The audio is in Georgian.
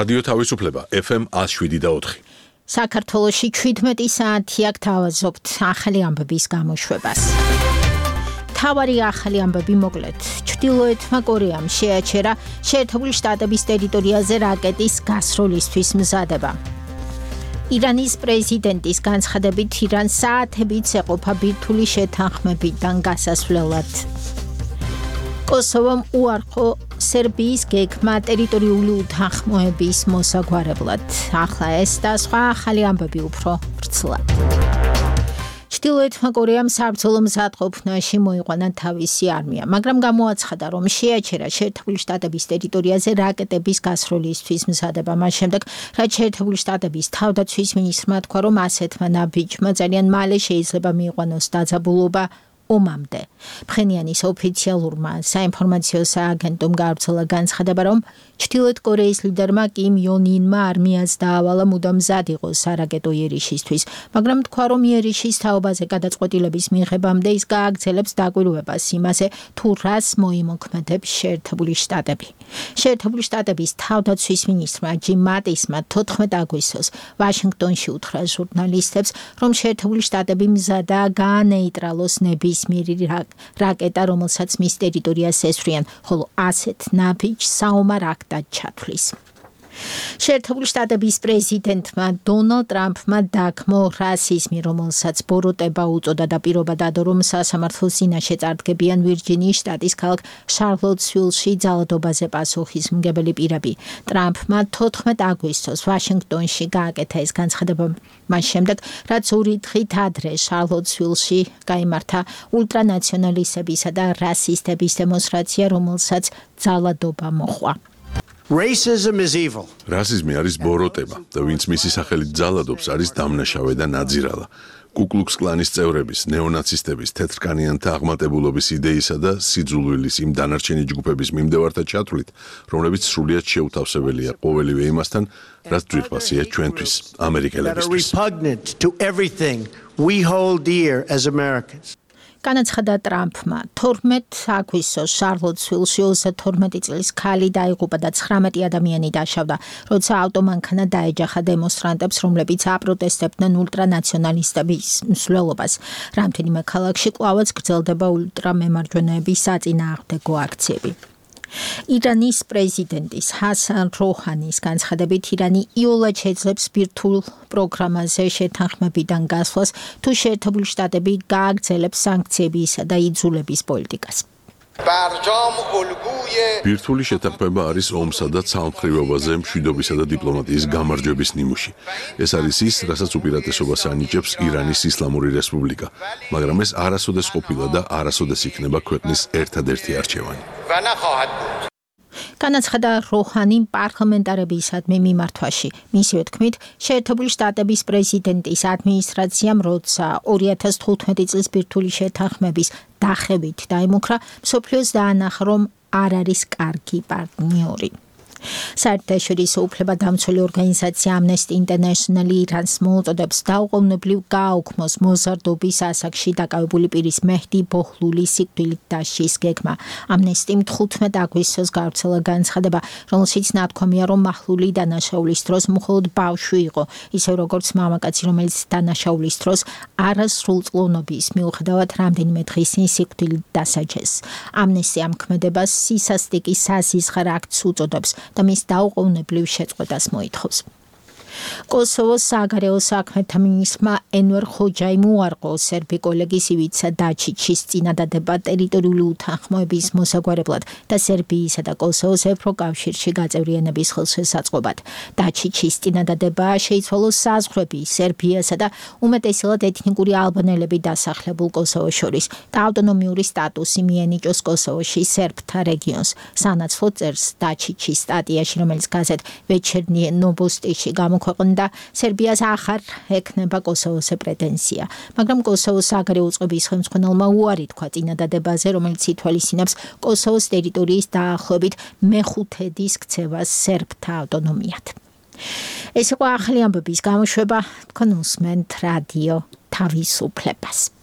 რადიო თავისუფლება FM 107.4. საქართველოში 17 საათი აქ თავაზობთ ახალი ამბების გამოშვებას. თავარი ახალი ამბები მოკლედ. ჩრდილოეთმა კორეამ შეაჩერა შეერთებული შტატების ტერიტორიაზე რაკეტის გასროლისთვის მზადება. ირანის პრეზიდენტის განცხადებით ირანს საათებით ეყოფა ბირთვული შეთანხმებიდან გასასვლელად. კოსოვომ უარყო სერბიის გეგმა ტერიტორიული უთანხმოების მოსაგვარებლად. ახლა ეს და სხვა ახალი ამბები უფრო ვრცლად. ჩრდილოეთმა კორეამ საბრძოლო მზადყოფნაში მოიყვანა თავისი არმია, მაგრამ გამოაცხადა, რომ შეაჩერა შეერთებული შტატების ტერიტორიაზე რაკეტების გასროლისთვის მზადება. მას შემდეგ, რაც შეერთებული შტატების თავდაცვის მინისტრმა თქვა, რომ ასეთმა ნაბიჯმა ძალიან მალე შეიძლება მიიყვანოს დაძაბულობა ომამდე. ფხენიანის ოფიციალურმა საინფორმაციო სააგენტომ გაავრცელა განცხადება, რომ ჩრდილოეთ კორეის ლიდერმა კიმ იონ ინმა არმიას დაავალა მუდამ მზად იყოს სარაკეტო იერიშისთვის, მაგრამ თქვა, რომ იერიშის თაობაზე გადაწყვეტილების მიღებამდე ის გააგრძელებს დაკვირვებას იმაზე, თუ რას მოიმოქმედებს შეერთებული შტატები. შეერთებული შტატების თავდაცვის მინისტრმა ჯიმ მატისმა 14 აგვისტოს ვაშინგტონში უთხრა ჟურნალისტებს, რომ შეერთებული შტატები მზადაა გაანეიტრალოს ნებისმიერი რაკეტა, რომელსაც მის ტერიტორიას ესვრიან, ხოლო ასეთ ნაბიჯს საომარ აქტად ჩათვლის. შეერთებული შტატების პრეზიდენტმა დონალდ ტრამპმა დაგმო რასიზმი, რომელსაც ბოროტება უწოდა და პირობა დადო, რომ სასამართლოს წინაშე წარდგებიან ვირჯინიის შტატის ქალაქ შარლოტსვილში ძალადობაზე პასუხისმგებელი პირები. ტრამპმა 14 აგვისტოს ვაშინგტონში გააკეთა ეს განცხადება მას შემდეგ, რაც ორი დღით ადრე შარლოტსვილში გაიმართა ულტრანაციონალისტებისა და რასისტების დემონსტრაცია, რომელსაც ძალადობა მოჰყვა. Racism is evil. რასიზმი არის ბოროტება და ვინც მისი სახელით ძალადობს არის დამნაშავე და ნაძირალა. კუკლუქს კლანის წევრების, ნეონაცისტების, თეთრკანიანთა აღმატებულობის იდეისა და სიძულვილის იმ დანარჩენი ჯგუფების მიმდევართა ჩათვლით, რომლებიც სრულიად შეუთავსებელია ყოველივე იმასთან, რაც ძვირფასია ჩვენთვის, ამერიკელებისთვის. Repugnant to everything we hold dear as Americans. განაცხადა ტრამპმა 12 აგვისტოს შარლოტსვილში 32 წლის ქალი დაიღუპა და 19 ადამიანი დაშავდა, როცა ავტომანქანა დაეჯახა დემონსტრანტებს, რომლებიც აპროტესტებდნენ ულტრანაციონალისტების მსვლელობას. რამდენიმე ქალაქში კვლავაც გრძელდება ულტრამემარჯვენეების საწინააღმდეგო აქციები. ირანის პრეზიდენტის ჰასან როჰანის განცხადებით ირანი იოლად შეძლებს ბირთვულ პროგრამაზე შეთანხმებიდან გასვლას, თუ შეერთებული შტატები გააგრძელებს სანქციებისა და იძულების პოლიტიკას. ბირთვული შეთანხმება არის ომსა და ცალმხრივობაზე მშვიდობისა და დიპლომატიის გამარჯვების ნიმუში. ეს არის ის, რასაც უპირატესობას ანიჭებს ირანის ისლამური რესპუბლიკა, მაგრამ ეს არასოდეს ყოფილა და არასოდეს იქნება ქვეყნის ერთადერთი არჩევანი. განაცხადა როჰანი პარლამენტარებისადმი მიმართვაში. მისივე თქმით, შეერთებული შტატების პრეზიდენტის ადმინისტრაციამ, როცა 2015 წლის ბირთვული შეთანხმების დახევით დაიმუქრა, მსოფლიოს დაანახა, რომ არ არის კარგი პარტნიორი. საერთაშორისო უფლებადამცველი ორგანიზაცია Amnesty International ირანს მოუწოდებს დაუყოვნებლივ გააუქმოს მოზარდობის ასაკში დაკავებული პირის მეჰდი ბოჰლულის სიკვდილით დასჯის გეგმა. Amnesty 15 აგვისტოს გავრცელა განცხადება, რომელშიც ნათქვამია, რომ მაჰლული დანაშაულის დროს მხოლოდ ბავშვი იყო, ისე როგორც მამაკაცი, რომელიც დანაშაულის დროს არასრულწლოვნობის მიუხედავად რამდენიმე დღის წინ სიკვდილით დასაჯეს. Amnesty ამ ქმედებას სისასტიკის სასიზღარ აქტს უწოდებს და მის დაუყოვნებლივ შეწყვეტას მოითხოვს. კოსოვოს საგარეო საქმეთა მინისტრმა ენვერ ხოჯაიმ უარყო სერბი კოლეგის ივიცა დაჩიჩის წინადადება ტერიტორიული უთანხმოების მოსაგვარებლად და სერბიისა და კოსოვოს ევროკავშირში გაწევრიანების ხელშესაწყობად. დაჩიჩის წინადადება შეიცვალა საზღვრები სერბიასა და უმეტესად ეთნიკური ალბანელები დასახლებულ კოსოვოს შორის და ავტონომიური სტატუსი მიენიჭოს კოსოვოში სერბთა რეგიონს. სანაცვლოდ წერს დაჩიჩის სტატიაში, რომელიც გაზეთ ვეჩერნიე ნოვოსტიში გამოქვეყნდა, სერბიას ახარ ექნება კოსოვოს პრეტენზია, მაგრამ კოსოვოს საგარეო უწყების ხელმძღვანელმა უარი თქვა წინადადებაზე, რომელიც ითვალისწინებს კოსოვოს ტერიტორიის დაახლოებით მეხუთედის ქცევას სერბთა ავტონომიად. ეს იყო ახალი ამბების გამოშვება, თქვენ უსმენთ რადიო თავისუფლებას.